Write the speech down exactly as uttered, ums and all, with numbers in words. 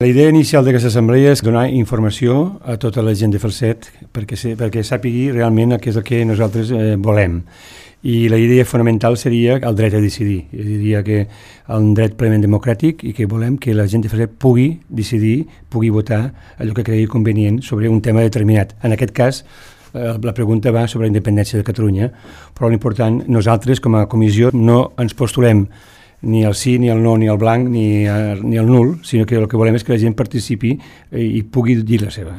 La idea inicial d'aquesta assemblea és donar informació a tota la gent de Falset perquè, perquè sàpigui realment què és el que nosaltres eh, volem. I la idea fonamental seria el dret a decidir. Jo diria que un dret plenament democràtic i que volem que la gent de Falset pugui decidir, pugui votar allò que cregui convenient sobre un tema determinat. En aquest cas, eh, la pregunta va sobre la independència de Catalunya, però l'important, nosaltres com a comissió no ens postulem ni el sí, ni el no, ni el blanc, ni, ni el nul, sinó que el que volem és que la gent participi i pugui dir la seva.